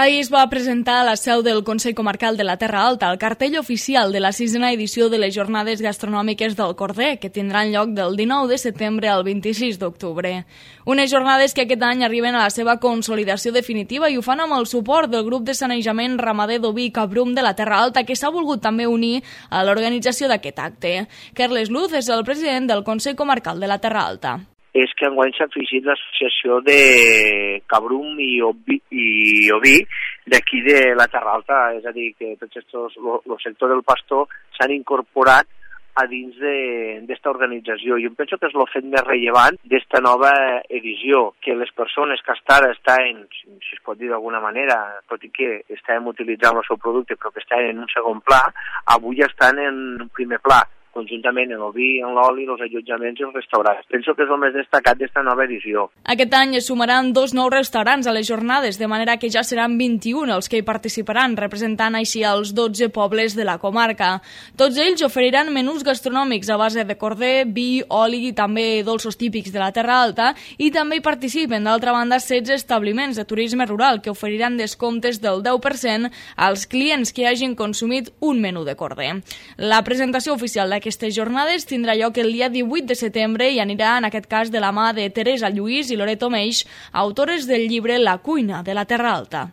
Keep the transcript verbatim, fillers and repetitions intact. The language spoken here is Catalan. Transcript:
Ahir es va presentar a la seu del Consell Comarcal de la Terra Alta el cartell oficial de la sisena edició de les Jornades Gastronòmiques del Corder, que tindran lloc del dinou de setembre al vint-i-sis d'octubre. Unes jornades que aquest any arriben a la seva consolidació definitiva i ho fan amb el suport del grup de sanejament ramader d'oví Cabrum de la Terra Alta, que s'ha volgut també unir a l'organització d'aquest acte. Carles Luz és el president del Consell Comarcal de la Terra Alta. És que enguany s'ha afegit l'associació de Cabrum i Oví, i Oví d'aquí de la Terra Alta, és a dir, que tots aquests, el sector del pastor s'han incorporat a dins d'esta organització. Jo penso que és el fet més rellevant d'esta nova edició, que les persones que hasta ara estaven, si es pot dir d'alguna manera, tot i que estàvem utilitzant el seu producte, però que estaven en un segon pla, avui estan en un primer pla, conjuntament en el vi, en l'oli, els allotjaments i els restaurants. Penso que és el més destacat d'esta nova edició. Aquest any es sumaran dos nous restaurants a les jornades, de manera que ja seran vint-i-un els que hi participaran, representant així els dotze pobles de la comarca. Tots ells oferiran menús gastronòmics a base de corder, vi, oli i també dolços típics de la Terra Alta, i també hi participen, d'altra banda, setze establiments de turisme rural que oferiran descomptes del deu per cent als clients que hagin consumit un menú de corder. La presentació oficial d'aquest Aquestes jornades tindrà lloc el dia divuit de setembre i anirà, en aquest cas, de la mà de Teresa Lluís i Loreto Meix, autores del llibre La cuina de la Terra Alta.